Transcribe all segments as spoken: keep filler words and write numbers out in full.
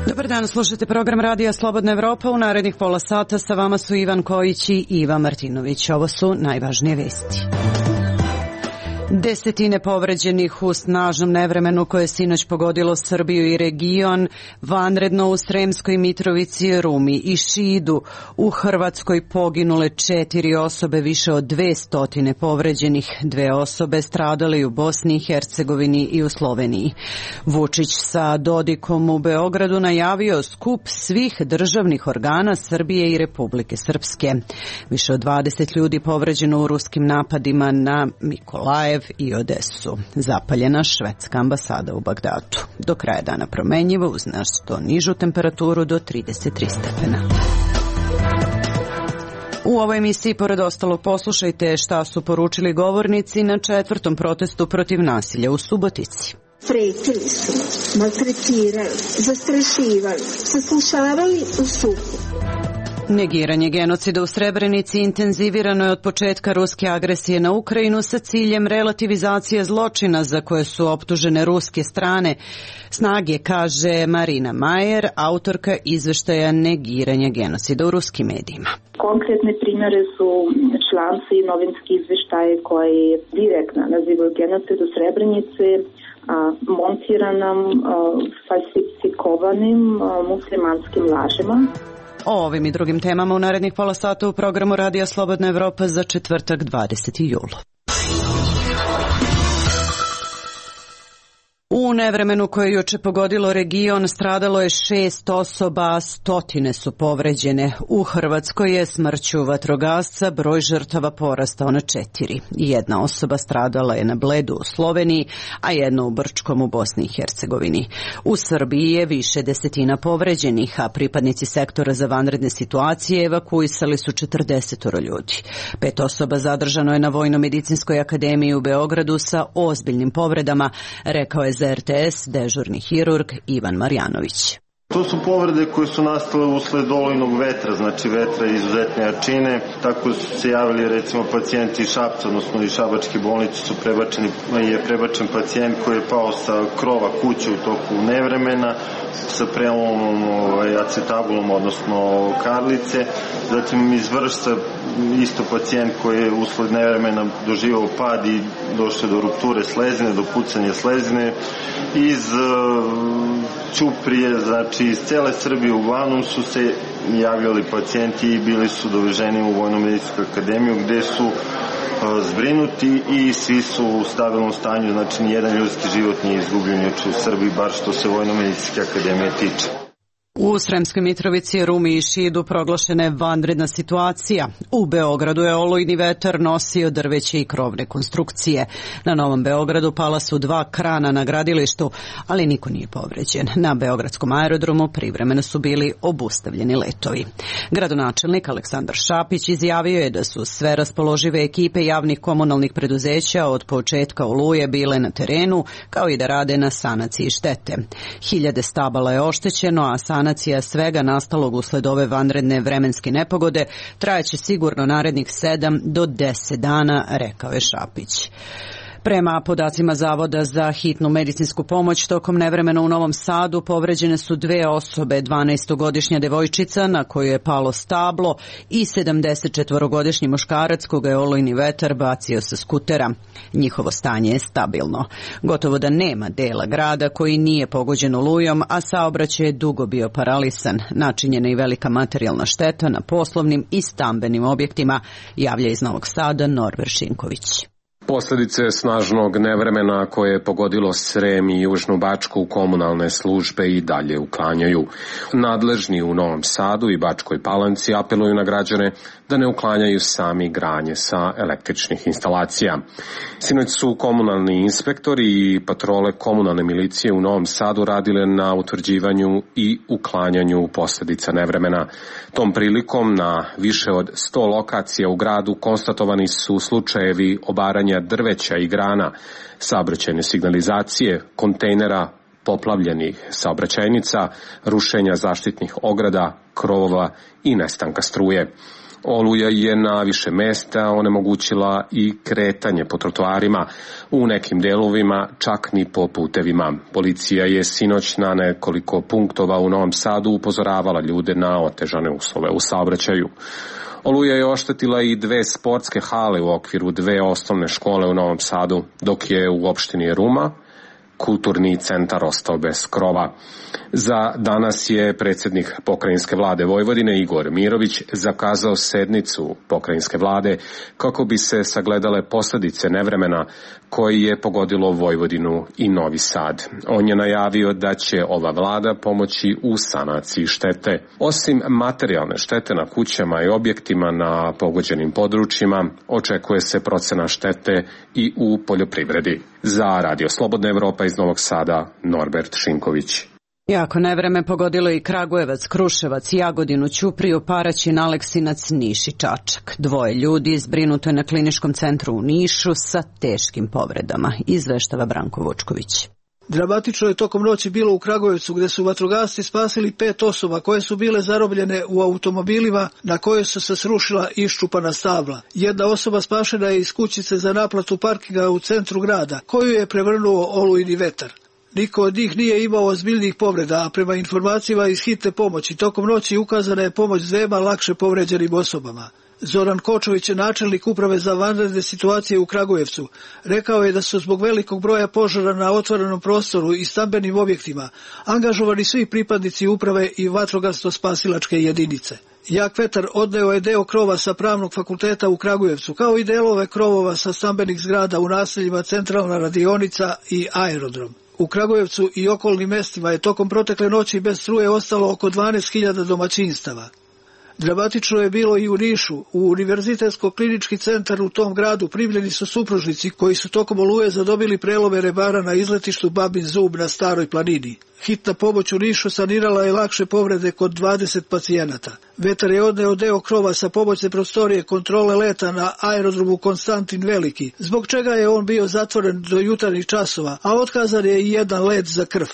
Dobar dan, slušate program Radija Slobodna Evropa. U narednih pola sata sa vama su Ivan Kojić i Iva Martinović. Ovo su najvažnije vesti. Desetine povređenih u snažnom nevremenu koje je sinoć pogodilo Srbiju i region, vanredno u Sremskoj Mitrovici, Rumi i Šidu. U Hrvatskoj poginule četiri osobe, više od dve stotine povređenih, dve osobe stradale u Bosni i Hercegovini i u Sloveniji. Vučić sa Dodikom u Beogradu najavio skup svih državnih organa Srbije i Republike Srpske. Više od dvadeset ljudi povređeno u ruskim napadima na Mikolajev i Odesu. Zapaljena švedska ambasada u Bagdadu. Do kraja dana promenjivo uz nešto nižu temperaturu do trideset tri stepena. U ovoj emisiji, pored ostalog, poslušajte šta su poručili govornici na četvrtom protestu protiv nasilja u Subotici. Pretili su, maltretirali, zastrašivali, saslušavali u suku. Negiranje genocida u Srebrenici intenzivirano je od početka ruske agresije na Ukrajinu sa ciljem relativizacije zločina za koje su optužene ruske strane snage, kaže Marina Majer, autorka izveštaja Negiranje genocida u ruskim medijima. Konkretne primjere su članci i novinski izveštaje koji direktno nazivaju genocid u Srebrenici montiranom, falsifikovanim muslimanskim lažima. O ovim i drugim temama u narednih pola sata u programu Radija Slobodna Evropa za četvrtak dvadeseti jul. U nevremenu koje je juče pogodilo region stradalo je šest osoba, stotine su povređene. U Hrvatskoj je smrću vatrogasca broj žrtava porastao na četiri. Jedna osoba stradala je na Bledu u Sloveniji, a jedna u Brčkom u Bosni i Hercegovini. U Srbiji je više desetina povređenih, a pripadnici sektora za vanredne situacije evakuisali su četrdesetoro ljudi. Pet osoba zadržano je na Vojno-medicinskoj akademiji u Beogradu sa ozbiljnim povredama, rekao je za R T S dežurni hirurg Ivan Marjanović. To su povrede koje su nastale usled olujnog vetra, znači vetra izuzetne jačine. Tako su se javili recimo pacijenti iz Šapca, odnosno iz Šabačke bolnice su prebačeni, je prebačen pacijent koji je pao sa krova kuće u toku nevremena sa prelomom ovaj, acetabulom, odnosno karlice. Zatim iz Vršca isto pacijent koji je usled nevremena doživao pad i došao do rupture slezine, do pucanja slezine. Iz Ćuprije, znači iz cele Srbije uglavnom su se javljali pacijenti i bili su doveženi u Vojno-medicinsku akademiju gde su zbrinuti i svi su u stabilnom stanju, znači nijedan ljudski život nije izgubljen juče u Srbiji, bar što se Vojno-medicinske akademije tiče. U Sremskoj Mitrovici, Rumi i Šidu proglašena je vanredna situacija. U Beogradu je olujni vetar nosio drveće i krovne konstrukcije. Na Novom Beogradu pala su dva krana na gradilištu, ali niko nije povređen. Na Beogradskom aerodromu privremeno su bili obustavljeni letovi. Gradonačelnik Aleksandar Šapić izjavio je da su sve raspoložive ekipe javnih komunalnih preduzeća od početka oluje bile na terenu, kao i da rade na sanaciji štete. Hiljade stabala je oštećeno, a sanacija svega nastalog usled ove vanredne vremenske nepogode trajaće sigurno narednih sedam do deset dana, rekao je Šapić. Prema podacima Zavoda za hitnu medicinsku pomoć, tokom nevremena u Novom Sadu povređene su dve osobe, dvanaestogodišnja devojčica na koju je palo stablo i sedamdesetčetvorogodišnji muškarac koga je olujni vetar bacio sa skutera. Njihovo stanje je stabilno. Gotovo da nema dela grada koji nije pogođen olujom, a saobraćaj je dugo bio paralisan. Načinjena i velika materijalna šteta na poslovnim i stambenim objektima, javlja iz Novog Sada Norber Šinković. Posledice snažnog nevremena koje je pogodilo Srem i Južnu Bačku komunalne službe i dalje uklanjaju. Nadležni u Novom Sadu i Bačkoj Palanci apeluju na građane da ne uklanjaju sami granje sa električnih instalacija. Sinoć su komunalni inspektori i patrole komunalne milicije u Novom Sadu radile na utvrđivanju i uklanjanju posledica nevremena. Tom prilikom na više od sto lokacija u gradu konstatovani su slučajevi obaranja drveća i grana, saobraćajne signalizacije, kontejnera, poplavljenih saobraćajnica, rušenja zaštitnih ograda, krovova i nestanka struje. Oluja je na više mesta onemogućila i kretanje po trotoarima, u nekim delovima čak ni po putevima. Policija je sinoć na nekoliko punktova u Novom Sadu upozoravala ljude na otežane uslove u saobraćaju. Oluja je oštetila i dve sportske hale u okviru dve osnovne škole u Novom Sadu, dok je u opštini Ruma kulturni centar ostao bez krova. Za danas je predsjednik pokrajinske vlade Vojvodine Igor Mirović zakazao sednicu pokrajinske vlade kako bi se sagledale posljedice nevremena koji je pogodilo Vojvodinu i Novi Sad. On je najavio da će ova vlada pomoći u sanaciji štete. Osim materijalne štete na kućama i objektima na pogođenim područjima, očekuje se procena štete i u poljoprivredi. Za Radio Slobodna Evropa iz Novog Sada, Norbert Šinković. Jako nevreme pogodilo i Kragujevac, Kruševac, Jagodinu, Ćupriju, Paraćin, Aleksinac, Niš i Čačak. Dvoje ljudi zbrinuto je na kliničkom centru u Nišu sa teškim povredama, izveštava Branko Vučković. Dramatično je tokom noći bilo u Kragujevcu, gde su vatrogasci spasili pet osoba koje su bile zarobljene u automobilima na koje su se srušila iščupana stabla. Jedna osoba spašena je iz kućice za naplatu parkinga u centru grada, koju je prevrnuo olujni vetar. Niko od njih nije imao ozbiljnih povreda, a prema informacijama iz hitne pomoći tokom noći ukazana je pomoć dvema lakše povređenim osobama. Zoran Kočović, načelnik uprave za vanredne situacije u Kragujevcu, rekao je da su zbog velikog broja požara na otvorenom prostoru i stambenim objektima angažovani svi pripadnici uprave i vatrogasno-spasilačke jedinice. Jak vetar odneo je deo krova sa Pravnog fakulteta u Kragujevcu, kao i delove krovova sa stambenih zgrada u naseljima Centralna radionica i Aerodrom. U Kragujevcu i okolnim mestima je tokom protekle noći bez struje ostalo oko dvanaest hiljada domaćinstava. Dramatično je bilo i u Nišu. U Univerzitetsko-klinički centar u tom gradu primljeni su supružnici koji su tokom oluje zadobili prelome rebara na izletištu Babin Zub na Staroj planini. Hitna pomoć u Nišu sanirala je lakše povrede kod dvadeset pacijenata. Vetar je odneo deo krova sa pomoćne prostorije kontrole leta na aerodromu Konstantin Veliki, zbog čega je on bio zatvoren do jutarnjih časova, a otkazan je i jedan let za krv.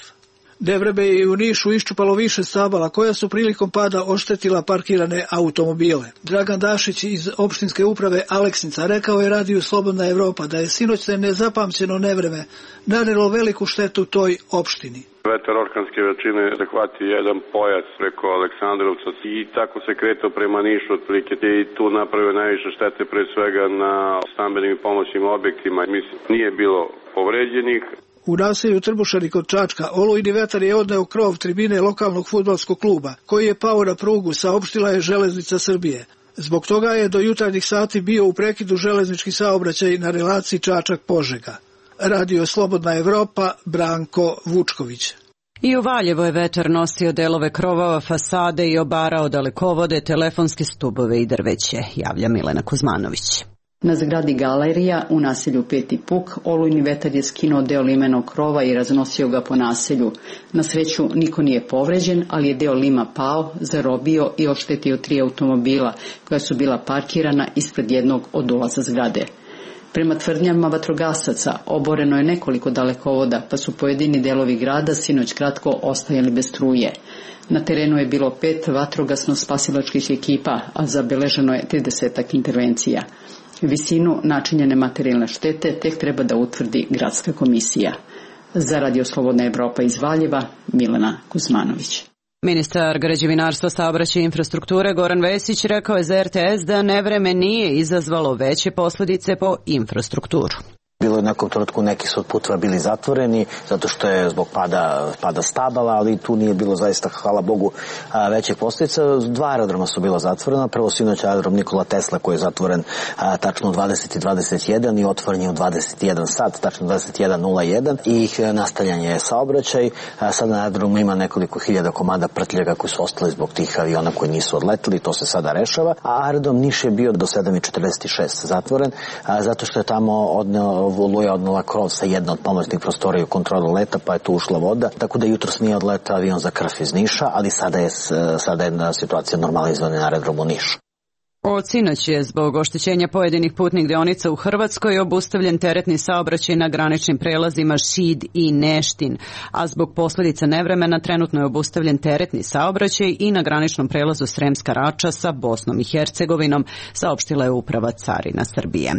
Nevreme je u Nišu iščupalo više stabala koja su prilikom pada oštetila parkirane automobile. Dragan Dašić iz opštinske uprave Aleksinca rekao je Radiju Slobodna Evropa da je sinoćne nezapamćeno nevreme nanelo veliku štetu toj opštini. Vetar orkanske veličine zahvati jedan pojas preko Aleksandrovca i tako se kretao prema Nišu otprilike i tu napravio najviše štete pre svega na stambenim i pomoćnim objektima. Mislim, nije bilo povređenih. U naselju Trbušani kod Čačka olujni vetar je odneo krov tribine lokalnog fudbalskog kluba, koji je pao na prugu, saopštila je Železnica Srbije. Zbog toga je do jutarnjih sati bio u prekidu železnički saobraćaj na relaciji Čačak-Požega. Radio Slobodna Evropa, Branko Vučković. I u Valjevo je vetar nosio delove krovova, fasade i obarao dalekovode, telefonske stubove i drveće, javlja Milena Kuzmanović. Na zgradi galerija u naselju Peti Puk olujni vetar je skinuo deo limenog krova i raznosio ga po naselju. Na sreću niko nije povređen, ali je deo lima pao, zarobio i oštetio tri automobila koja su bila parkirana ispred jednog od ulaza zgrade. Prema tvrdnjama vatrogasaca oboreno je nekoliko dalekovoda, pa su pojedini delovi grada sinoć kratko ostajali bez struje. Na terenu je bilo pet vatrogasno-spasilačkih ekipa, a zabeleženo je tridesetak intervencija. Visinu načinjene materijalne štete tek treba da utvrdi gradska komisija. Za Radio Slobodna Evropa iz Valjeva, Milena Kuzmanović. Ministar građevinarstva, saobraćaja i infrastrukture Goran Vesić rekao je za er te es da nevreme nije izazvalo veće posljedice po infrastrukturu. Bilo je u nekom trenutku neki su od puteva bili zatvoreni zato što je zbog pada, pada stabala, ali tu nije bilo zaista, hvala Bogu, većih posljedica. Dva aerodroma su bila zatvorena. Prvo sinoć aerodrom Nikola Tesla koji je zatvoren a, tačno u dvadeset i dvadeset jedan i otvoren je u dvadeset i jedan sat, tačno dvadeset jedan nula jedan i nastavljan je saobraćaj. A, sada na aerodromu ima nekoliko hiljada komada prtljega koji su ostali zbog tih aviona koji nisu odleteli, to se sada rešava. A aerodrom Niš je bio do sedam i četrdeset šest zatvoren a, zato što je tamo odneo Oluja odnela krov sa jedne od pomoćnih prostorija u kontrolu leta, pa je tu ušla voda, tako da jutros nije odletao avion za krv iz Niša, ali sada je, sada je situacija normalizovana na aerodromu Niš. Od sinoć je zbog oštećenja pojedinih putnih deonica u Hrvatskoj obustavljen teretni saobraćaj na graničnim prelazima Šid i Neštin, a zbog posljedica nevremena trenutno je obustavljen teretni saobraćaj i na graničnom prelazu Sremska Rača sa Bosnom i Hercegovinom, saopštila je Uprava carina Srbije.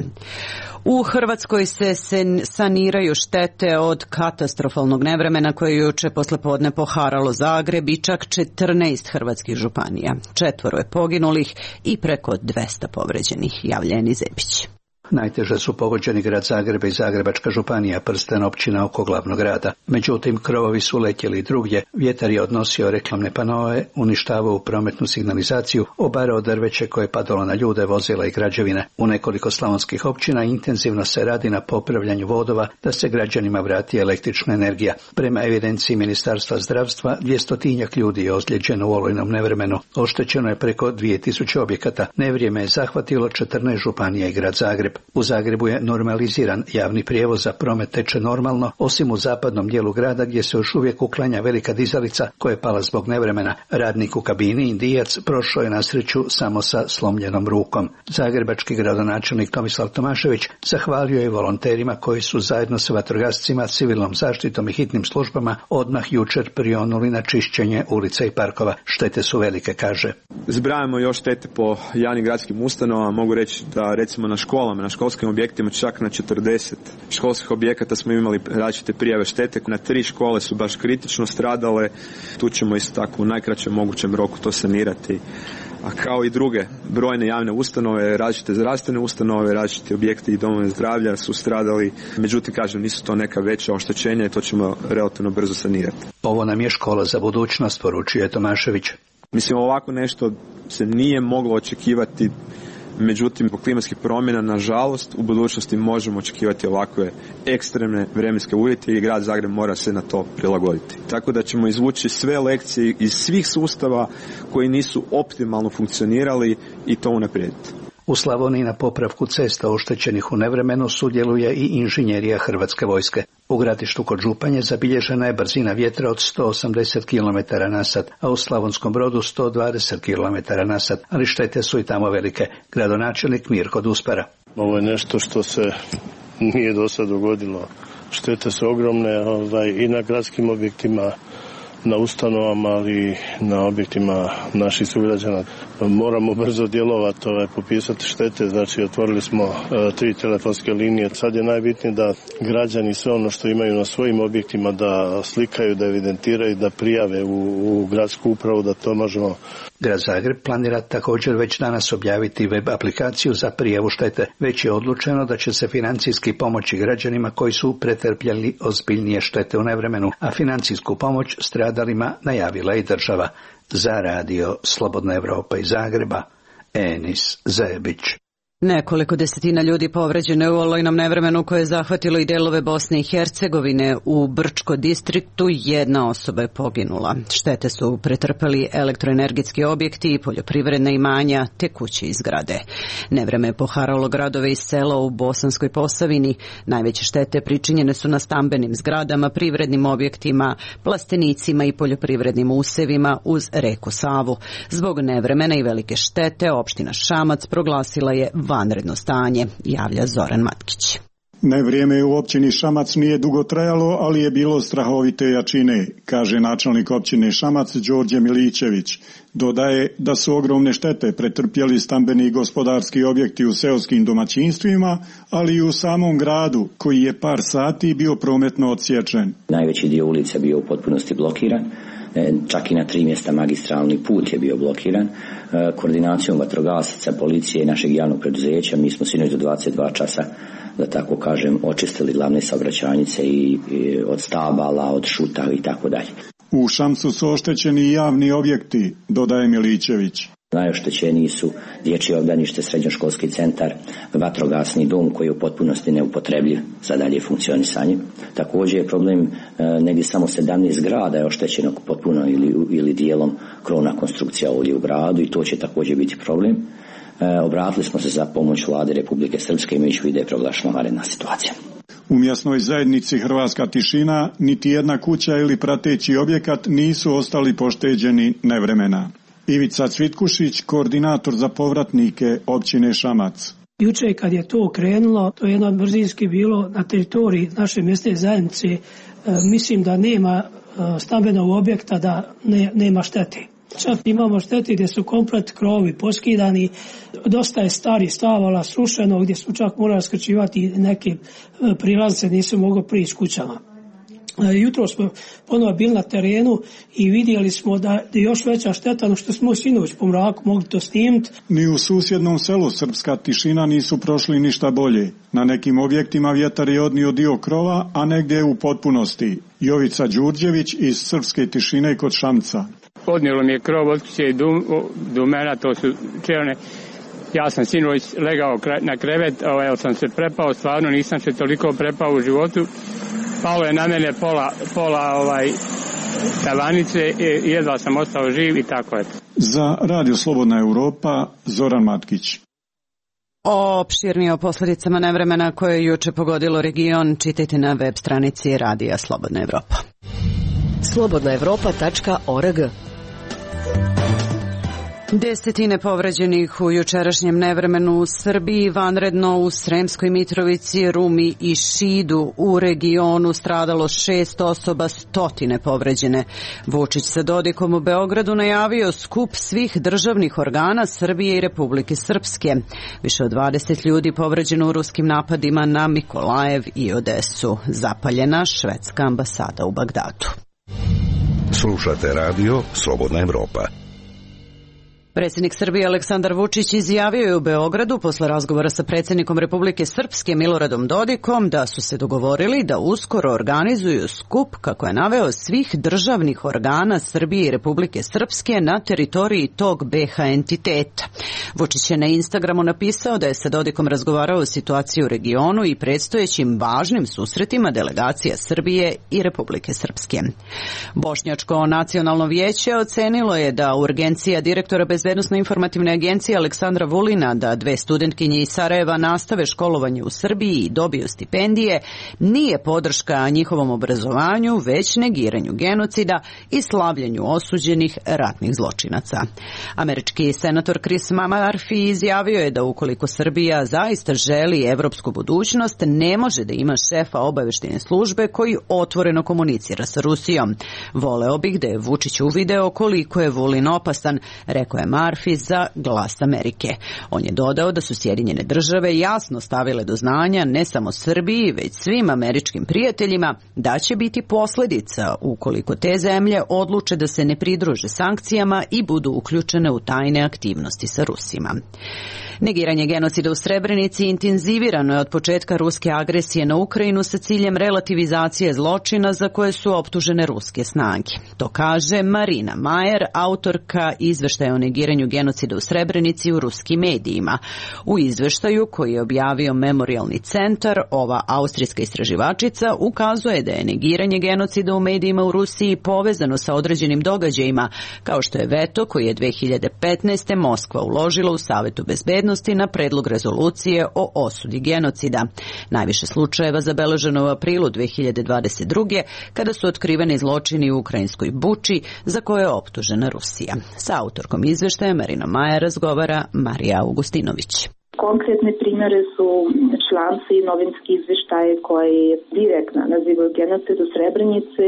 U Hrvatskoj se saniraju štete od katastrofalnog nevremena koje je juče poslepodne poharalo Zagreb i čak četrnaest hrvatskih županija. Četvoro je poginulih i preko dvesta povređenih, javlja Eni Zepić. Najteže su pogođeni grad Zagreb i Zagrebačka županija, prsten općina oko glavnog grada. Međutim, krovovi su letjeli drugdje, vjetar je odnosio reklamne panoe, uništavao prometnu signalizaciju, obarao drveće koje je padalo na ljude, vozila i građevine. U nekoliko slavonskih općina intenzivno se radi na popravljanju vodova da se građanima vrati električna energija. Prema evidenciji Ministarstva zdravstva, dvjestotinjak ljudi je ozlijeđeno u olujnom nevremenu. Oštećeno je preko dvije tisuće objekata. Nevrijeme je zahvatilo četrnaest županija i grad Zagreb. U Zagrebu je normaliziran javni prijevoz, za promet teče normalno, osim u zapadnom dijelu grada gdje se još uvijek uklanja velika dizalica koja je pala zbog nevremena. Radnik u kabini, Indijac, prošao je na sreću samo sa slomljenom rukom. Zagrebački gradonačelnik Tomislav Tomašević zahvalio je volonterima koji su zajedno sa vatrogascima, civilnom zaštitom i hitnim službama odmah jučer prionuli na čišćenje ulica i parkova. Štete su velike, kaže. Zbrajamo još štete po javnim gradskim ustanovama. Mogu reći da recimo na školama, na školskim objektima čak na četrdeset školskih objekata smo imali različite prijave štete. Na tri škole su baš kritično stradale. Tu ćemo isto tako u najkraćem mogućem roku to sanirati. A kao i druge brojne javne ustanove, različite zdravstvene ustanove, različiti objekti i domove zdravlja su stradali. Međutim, kažem, nisu to neka veća oštećenja i to ćemo relativno brzo sanirati. Ovo nam je škola za budućnost, poručuje Tomašević. Mislim, ovako nešto se nije moglo očekivati. Međutim, zbog klimatskih promjena, nažalost, u budućnosti možemo očekivati ovakve ekstremne vremenske uvjete i grad Zagreb mora se na to prilagoditi. Tako da ćemo izvući sve lekcije iz svih sustava koji nisu optimalno funkcionirali i to unaprijediti. U Slavoniji na popravku cesta oštećenih u nevremenu sudjeluje i inženjerija Hrvatske vojske. U Gradištu kod Županje zabilježena je brzina vjetra od sto osamdeset kilometara na sat, a u Slavonskom Brodu sto dvadeset kilometara na sat, ali štete su i tamo velike. Gradonačelnik Mirko Duspara. Ovo je nešto što se nije do sad dogodilo. Štete su ogromne ovaj, i na gradskim objektima, na ustanovama, ali i na objektima naših sugrađana. Moramo brzo djelovati, ovaj, popisati štete, znači otvorili smo uh, tri telefonske linije. Sad je najbitnije da građani sve ono što imaju na svojim objektima da slikaju, da evidentiraju, da prijave u, u gradsku upravu, da to možemo. Grad Zagreb planira također već danas objaviti web aplikaciju za prijavu štete. Već je odlučeno da će se financijski pomoći građanima koji su pretrpjeli ozbiljnije štete u nevremenu, a financijsku pomoć stradalima najavila i država. Za radio Slobodna Evropa iz Zagreba, Enis Zebić. Nekoliko desetina ljudi povređeno je u olujnom nevremenu koje je zahvatilo i delove Bosne i Hercegovine. U Brčko distriktu jedna osoba je poginula. Štete su pretrpeli elektroenergetski objekti i poljoprivredna imanja te kuće i zgrade. Nevreme je poharalo gradove i sela u Bosanskoj Posavini. Najveće štete pričinjene su na stambenim zgradama, privrednim objektima, plastenicima i poljoprivrednim usevima uz reku Savu. Zbog nevremena i velike štete opština Šamac proglasila je vanredno stanje, javlja Zoran Matkić. Nevrijeme u općini Šamac nije dugo trajalo, ali je bilo strahovite jačine, kaže načelnik općine Šamac Đorđe Milićević. Dodaje da su ogromne štete pretrpjeli stambeni i gospodarski objekti u seoskim domaćinstvima, ali i u samom gradu, koji je par sati bio prometno odsječen. Najveći dio ulica bio u potpunosti blokiran. Čak i na tri mjesta magistralni put je bio blokiran. Koordinacijom vatrogasaca, policije i našeg javnog preduzeća mi smo sinoć do dvadeset dva časa, da tako kažem, očistili glavne saobraćajnice i, i od stabala, od šuta i tako dalje. U Šamcu su oštećeni javni objekti, dodaje Milićević. Najoštećeniji su dječje obdanište, srednjoškolski centar, vatrogasni dom koji je u potpunosti neupotrebljiv za dalje funkcionisanje. Također je problem e, negdje samo sedamnaest zgrada je oštećeno potpuno ili, ili dijelom krovna konstrukcija ovdje u gradu i to će također biti problem. E, obratili smo se za pomoć Vlade Republike Srpske imajući u vidu da je proglašena vanredna situacija. U mjesnoj zajednici Hrvatska tišina niti jedna kuća ili prateći objekat nisu ostali pošteđeni nevremena. Ivica Cvitkušić, koordinator za povratnike općine Šamac. Juče kad je to krenulo, to je jedno brzinski bilo na teritoriji naše mjesne zajednice, e, mislim da nema e, stambenog objekta da ne, nema štete. Čak imamo štete gdje su komplet krovovi poskidani, dosta je stari stavala srušeno, gdje su čak morali skrčivati neke prilaznice, nisu mogli prići kućama. Jutro smo ponovo bili na terenu i vidjeli smo da je još veća šteta no što smo sinoć po mraku mogli to snimiti. Ni u susjednom selu Srpska Tišina nisu prošli ništa bolje. Na nekim objektima vjetar je odnio dio krova, a negdje u potpunosti. Jovica Đurđević iz Srpske Tišine kod Šamca. Odnijelo mi je krov od kuće do, do mene, to su čelne. Ja sam sinoć legao na krevet, ovaj, sam se prepao, stvarno nisam se toliko prepao u životu. Palo je na mene pola, pola ovaj, tavanice i jedva sam ostao živ i tako je. Za Radio Slobodna Europa, Zoran Matkić. O opširnije o posljedicama nevremena koje je juče pogodilo region čitajte na web stranici Radija Slobodna Evropa. slobodna evropa tačka org. Desetine povređenih u jučerašnjem nevremenu u Srbiji, vanredno u Sremskoj Mitrovici, Rumi i Šidu. U regionu stradalo šest osoba, stotine povređene. Vučić sa Dodikom u Beogradu najavio skup svih državnih organa Srbije i Republike Srpske. Više od dvadeset ljudi povređeno u ruskim napadima na Mikolajev i Odesu. Zapaljena švedska ambasada u Bagdadu. Slušate radio Slobodna Evropa. Predsjednik Srbije Aleksandar Vučić izjavio je u Beogradu posle razgovora sa predsjednikom Republike Srpske Miloradom Dodikom da su se dogovorili da uskoro organizuju skup, kako je naveo, svih državnih organa Srbije i Republike Srpske na teritoriji tog be ha entiteta. Vučić je na Instagramu napisao da je sa Dodikom razgovarao o situaciji u regionu i predstojećim važnim susretima delegacija Srbije i Republike Srpske. Bošnjačko nacionalno vijeće ocenilo je da urgencija direktora Bezbednosno-informativne agencije Aleksandra Vulina da dve studentkinje iz Sarajeva nastave školovanje u Srbiji i dobiju stipendije nije podrška njihovom obrazovanju, već negiranju genocida i slavljenju osuđenih ratnih zločinaca. Američki senator Chris Murphy izjavio je da ukoliko Srbija zaista želi evropsku budućnost, ne može da ima šefa obaveštajne službe koji otvoreno komunicira sa Rusijom. Voleo bih da je Vučić uvideo koliko je Vulin opasan, rekao je Murphy za Glas Amerike. On je dodao da su Sjedinjene države jasno stavile do znanja ne samo Srbiji, već svim američkim prijateljima da će biti posljedica ukoliko te zemlje odluče da se ne pridruže sankcijama i budu uključene u tajne aktivnosti sa Rusima. Negiranje genocida u Srebrenici intenzivirano je od početka ruske agresije na Ukrajinu sa ciljem relativizacije zločina za koje su optužene ruske snage. To kaže Marina Majer, autorka izveštaja o negiranju genocida u Srebrenici u ruskim medijima. U izveštaju koji je objavio Memorialni centar, ova austrijska istraživačica ukazuje da je negiranje genocida u medijima u Rusiji povezano sa određenim događajima, kao što je veto koji je dve hiljade petnaeste. Moskva uložila u Savetu bezbednosti na predlog rezolucije o osudi genocida. Najviše slučajeva zabeleženo u aprilu dve hiljade dvadeset druge. kada su otkriveni zločini u ukrajinskoj Buči za koje je optužena Rusija. Sa autorkom izveštaja Marina Maja razgovara Marija Augustinović. Konkretne primjere su članci i novinski izveštaje koji direktno nazivaju genocid u Srebrenici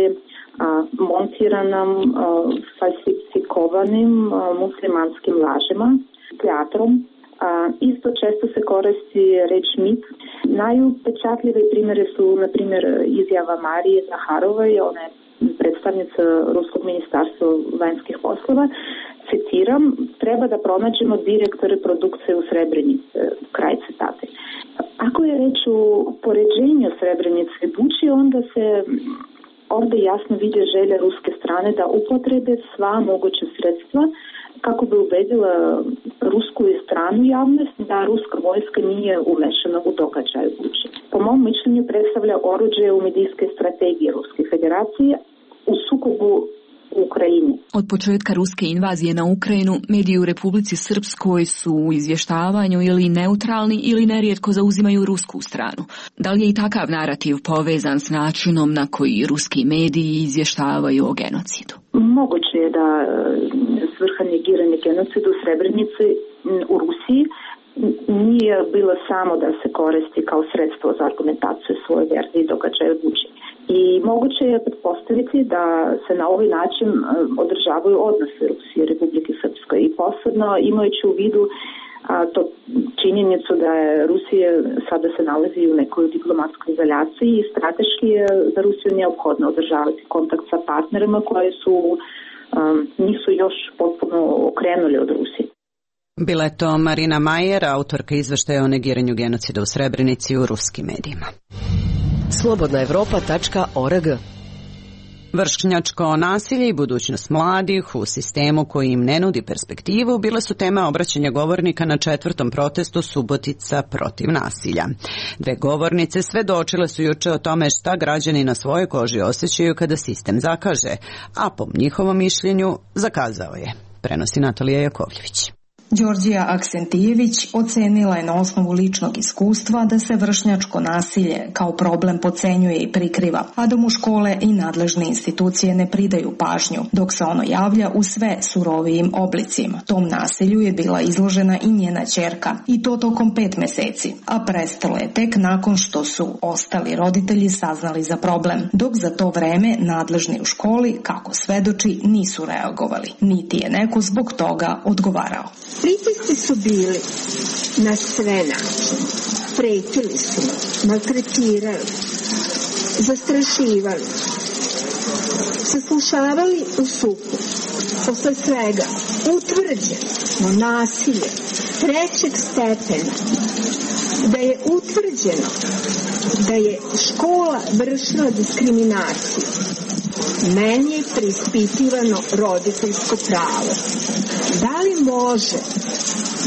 montiranom, falsifikovanim muslimanskim lažima, teatrom. Isto često se koristi reč mit. Najupečatljive primjere su, na primjer, izjava Marije Zaharove, ona je predstavnica Ruskog ministarstva vanjskih poslova. Citiram, treba da pronađemo direktore produkcije u Srebrenici, kraj citate. Ako je reč o poređenju Srebrenice i Buči, onda se ovdje jasno vidi želja ruske strane da upotrebe sva moguća sredstva kako bi ubedila rusku stranu javnost da ruska vojska nije umešana u događaj u Buči. Po mom mišljenju predstavlja oruđe u medijske strategije Ruske federacije u sukobu u Ukrajini. Od početka ruske invazije na Ukrajinu, mediji u Republici Srpskoj su u izvještavanju ili neutralni ili nerijetko zauzimaju rusku stranu. Da li je i takav narativ povezan s načinom na koji ruski mediji izvještavaju o genocidu? Moguće je da svrha negiranja genocida u Srebrenici u Rusiji nije bilo samo da se koristi kao sredstvo za argumentaciju svoje verzije događaja od učenja. I moguće je pretpostaviti da se na ovaj način održavaju odnose Rusije i Republike Srpske i posebno imajući u vidu a, to činjenicu da je Rusija sada se nalazi u nekoj diplomatskoj izolaciji i strateški je za Rusiju neophodno održavati kontakt sa partnerima koji su um, nisu još potpuno okrenuli od Rusije. Bila je to Marina Majer, autorka izveštaja o negiranju genocida u Srebrenici u ruskim medijima. slobodna evropa tačka org. Vršnjačko nasilje i budućnost mladih u sistemu koji im ne nudi perspektivu bile su tema obraćanja govornika na četvrtom protestu Subotica protiv nasilja. Dve govornice svedočile su juče o tome šta građani na svojoj koži osjećaju kada sistem zakaže, a po njihovom mišljenju zakazao je. Prenosi Natalija Jakovljević. Đorđija Aksentijević ocenila je na osnovu ličnog iskustva da se vršnjačko nasilje kao problem podcenjuje i prikriva, a da mu škole i nadležne institucije ne pridaju pažnju, dok se ono javlja u sve surovijim oblicima. Tom nasilju je bila izložena i njena ćerka, i to tokom pet meseci, a prestalo je tek nakon što su ostali roditelji saznali za problem, dok za to vreme nadležni u školi, kako svedoči, nisu reagovali, niti je neko zbog toga odgovarao. Pritisci su bili na sve načine. Pretili su, maltretirali, zastrašivali, saslušavali u suku. Posle svega utvrđeno nasilje trećeg stepena, da je utvrđeno da je škola vršila diskriminaciju. Meni je preispitivano roditeljsko pravo. Da li može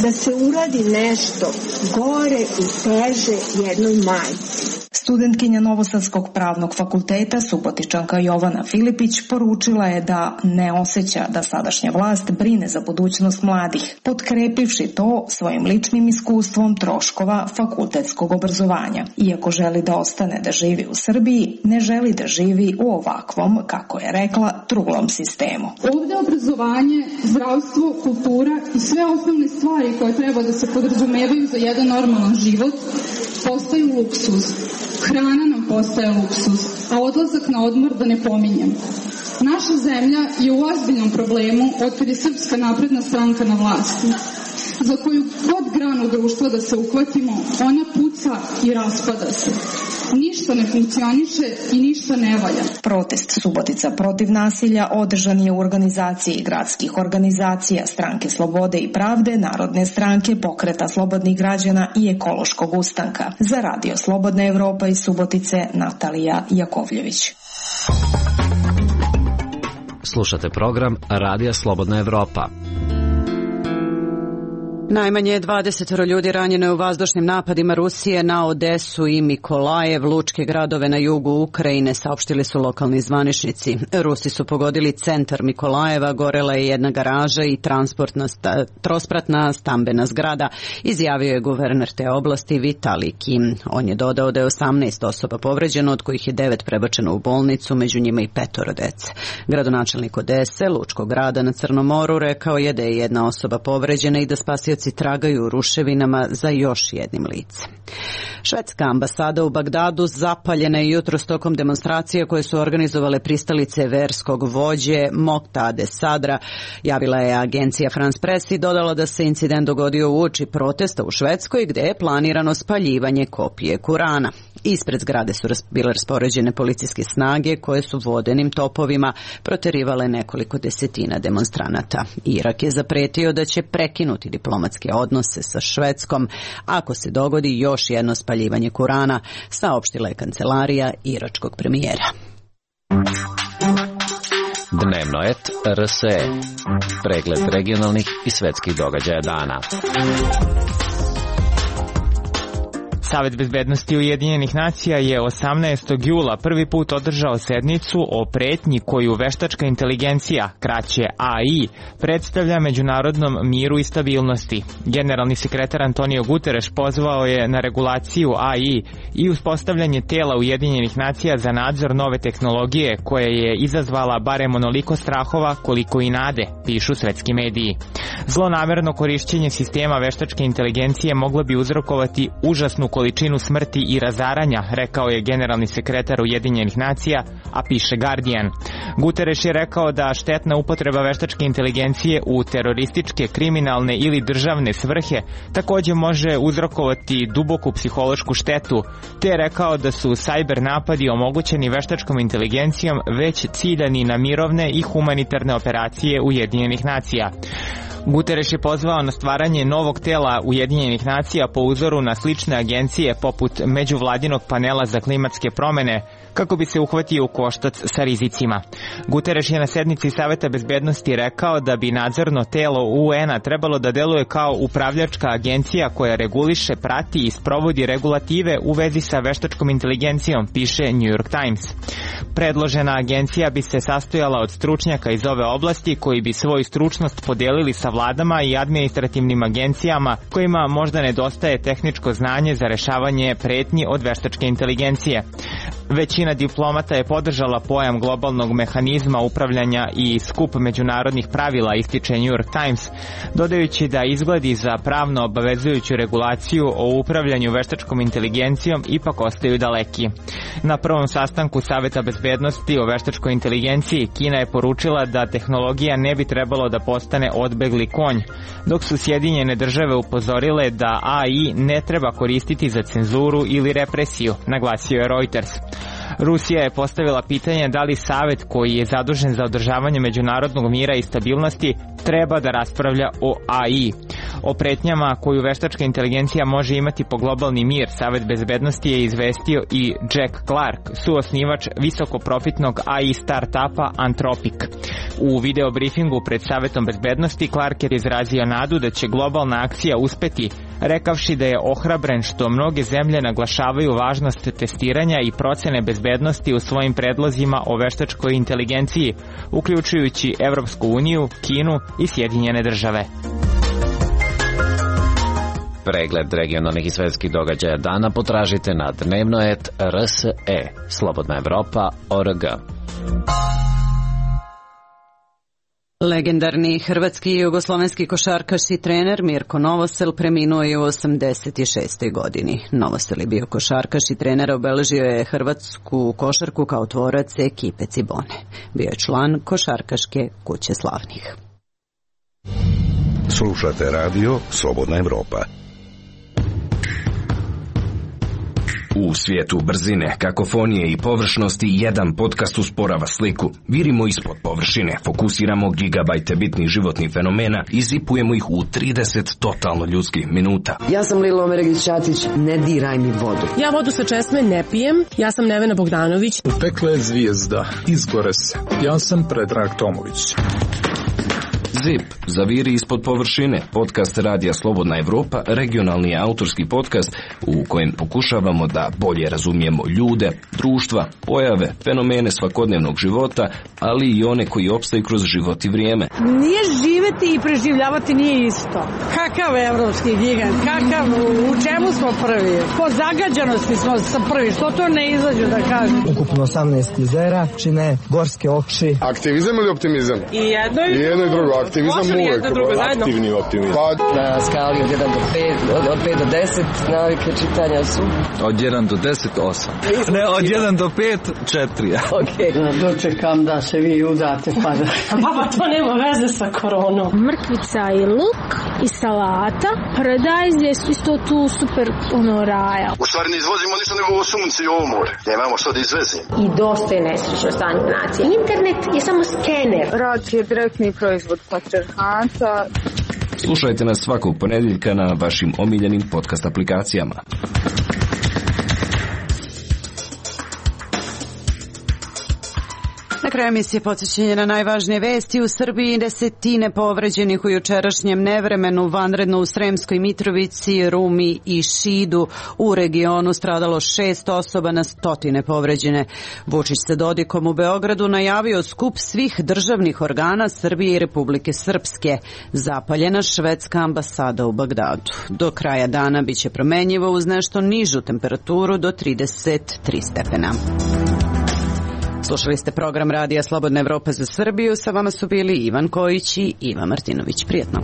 da se uradi nešto gore i teže jednoj majci? Studentkinja Novosadskog pravnog fakulteta, Subotičanka Jovana Filipić, poručila je da ne osjeća da sadašnja vlast brine za budućnost mladih, potkrepivši to svojim ličnim iskustvom troškova fakultetskog obrazovanja. Iako želi da ostane da živi u Srbiji, ne želi da živi u ovakvom, kako je rekla, truglom sistemu. Ovde obrazovanje, zdravstvo, kultura i sve osnovne stvari koje treba da se podrazumevaju za jedan normalan život postaju luksuz. Hrana nam postaje luksuz, a odlazak na odmor da ne pominjem. Naša zemlja je u ozbiljnom problemu otkad je Srpska napredna stranka na vlasti. Za koju god granu društva da se uhvatimo, ona puca i raspada se. Ništa ne funkcioniše i ništa ne valja. Protest Subotica protiv nasilja održan je u organizaciji gradskih organizacija Stranke slobode i pravde, Narodne stranke, Pokreta slobodnih građana i Ekološkog ustanka. Za Radio Slobodna Evropa iz Subotice, Natalija Jakovljević. Slušate program Radija Slobodna Evropa. Najmanje dvadeset ljudi ranjeno je u vazdušnim napadima Rusije na Odesu i Mikolajev, lučke gradove na jugu Ukrajine, saopštili su lokalni zvaničnici. Rusi su pogodili centar Mikolajeva, gorela je jedna garaža i transportna sta, trospratna stambena zgrada, izjavio je guverner te oblasti Vitalij Kim. On je dodao da je osamnaest osoba povređeno, od kojih je devet prebačeno u bolnicu, među njima i petoro dece. Gradonačelnik Odese, lučkog grada na Crnom moru, rekao je da je jedna osoba povređena i da spasioci tragaju u ruševinama za još jednim licem. Švedska ambasada u Bagdadu zapaljena je jutros tokom demonstracije koje su organizovale pristalice verskog vođe Moktade Sadra, javila je agencija France Press i dodala da se incident dogodio uoči protesta u Švedskoj gde je planirano spaljivanje kopije Kurana. Ispred zgrade su bile raspoređene policijske snage koje su vodenim topovima proterivale nekoliko desetina demonstranata. Irak je zapretio da će prekinuti diplomatske odnose sa Švedskom ako se dogodi još jedno spaljivanje Kurana, saopštila je kancelarija iračkog premijera. Dnevno et R S E. Pregled regionalnih i svetskih događaja dana. Savet bezbednosti Ujedinjenih nacija je osamnaestog jula prvi put održao sednicu o pretnji koju veštačka inteligencija, kraće A I, predstavlja međunarodnom miru i stabilnosti. Generalni sekretar Antonio Guterres pozvao je na regulaciju A I i uspostavljanje tela Ujedinjenih nacija za nadzor nove tehnologije koja je izazvala barem onoliko strahova koliko i nade, pišu svetski mediji. Zlonamerno korišćenje sistema veštačke inteligencije moglo bi uzrokovati užasnu količinu smrti i razaranja, rekao je generalni sekretar Ujedinjenih nacija, a piše Guardian. Guterres je rekao da štetna upotreba veštačke inteligencije u terorističke, kriminalne ili državne svrhe takođe može uzrokovati duboku psihološku štetu, te je rekao da su sajber napadi omogućeni veštačkom inteligencijom već ciljani na mirovne i humanitarne operacije Ujedinjenih nacija. Guterres je pozvao na stvaranje novog tela Ujedinjenih nacija po uzoru na slične agencije poput Međuvladinog panela za klimatske promene, kako bi se uhvatio u koštac sa rizicima. Guterres je na sednici Saveta bezbednosti rekao da bi nadzorno telo U N-a trebalo da deluje kao upravljačka agencija koja reguliše, prati i sprovodi regulative u vezi sa veštačkom inteligencijom, piše New York Times. Predložena agencija bi se sastojala od stručnjaka iz ove oblasti koji bi svoju stručnost podelili sa vladama i administrativnim agencijama kojima možda nedostaje tehničko znanje za rešavanje pretnji od veštačke inteligencije. Većina diplomata je podržala pojam globalnog mehanizma upravljanja i skup međunarodnih pravila, ističe New York Times, dodajući da izgledi za pravno obavezujuću regulaciju o upravljanju veštačkom inteligencijom ipak ostaju daleki. Na prvom sastanku Saveta bezbednosti o veštačkoj inteligenciji Kina je poručila da tehnologija ne bi trebalo da postane odbegli konj, dok su Sjedinjene države upozorile da A I ne treba koristiti za cenzuru ili represiju, naglasio je Reuters. Rusija je postavila pitanje da li savet koji je zadužen za održavanje međunarodnog mira i stabilnosti treba da raspravlja o A I. O pretnjama koju veštačka inteligencija može imati po globalni mir, Savet bezbednosti je izvestio i Jack Clark, suosnivač visokoprofitnog A I startupa Anthropic. U video briefingu pred Savetom bezbednosti Clark je izrazio nadu da će globalna akcija uspeti, rekavši da je ohrabren što mnoge zemlje naglašavaju važnost testiranja i procene bezbednosti u svojim predlozima o veštačkoj inteligenciji, uključujući Evropsku uniju, Kinu i Sjedinjene države. Pregled regionalnih i svetskih događaja dana potražite na dnevnoet R S E, Slobodna Evropa, O R G. Legendarni hrvatski i jugoslovenski košarkaš i trener Mirko Novosel preminuo je u osamdeset šestoj godini. Novosel je bio košarkaš i trener, obeležio je hrvatsku košarku kao tvorac ekipe Cibone. Bio je član Košarkaške kuće slavnih. Slušate radio Slobodna Evropa. U svijetu brzine, kakofonije i površnosti jedan podcast usporava sliku. Virimo ispod površine, fokusiramo gigabajte bitnih životnih fenomena i zipujemo ih u trideset totalno ljudskih minuta. Ja sam Lilo Omeregić-Ćatić, ne diraj mi vodu. Ja vodu sa česme ne pijem, ja sam Nevena Bogdanović. U pekle je zvijezda, izgore se. Ja sam Predrag Tomović. Zip, zaviri ispod površine, podcast Radija Slobodna Evropa, regionalni autorski podcast u kojem pokušavamo da bolje razumijemo ljude, društva, pojave, fenomene svakodnevnog života, ali i one koji opstaju kroz život i vrijeme. Nije živeti i preživljavati nije isto. Kakav evropski gigant, kakav, u čemu smo prvi? Po zagađanosti smo prvi, što to ne izađu da kažem? Ukupno osamnaest jezera, čine gorske oči. Aktivizam ili optimizam? I jedno i, I jedno i drugo. Aktivizam uvek. Aktivni optimizam. Pa, na skali od jedan do pet, od, od pet do deset, navike čitanja su? Od jedan do deset, osam. Ne, od jedan do pet, četiri. Okej. Okay. Dočekam da se vi udate, pa da... Baba, to nema veze sa koronom. Mrkvica i luk i salata. Paradajz je isto tu super ono raja. U stvari ne izvozimo ništa nego ovo sunce i ovo more. Nemamo što da izvezimo. I dosta je nesrećno stanje nacije. Internet je samo skener. Rad je direktni proizvod patrijarhata. Slušajte nas svakog ponedjeljka na vašim omiljenim podcast aplikacijama. Na kraju emisije podsjećanje na najvažnije vesti. U Srbiji desetine povređenih u jučerašnjem nevremenu, vanredno u Sremskoj Mitrovici, Rumi i Šidu. U regionu stradalo šest osoba, na stotine povređene. Vučić sa Dodikom u Beogradu najavio skup svih državnih organa Srbije i Republike Srpske. Zapaljena švedska ambasada u Bagdadu. Do kraja dana biće promenjivo uz nešto nižu temperaturu do trideset tri stepena. Slušali ste program Radija Slobodna Evropa za Srbiju. Sa vama su bili Ivan Kojić i Iva Martinović. Prijetno.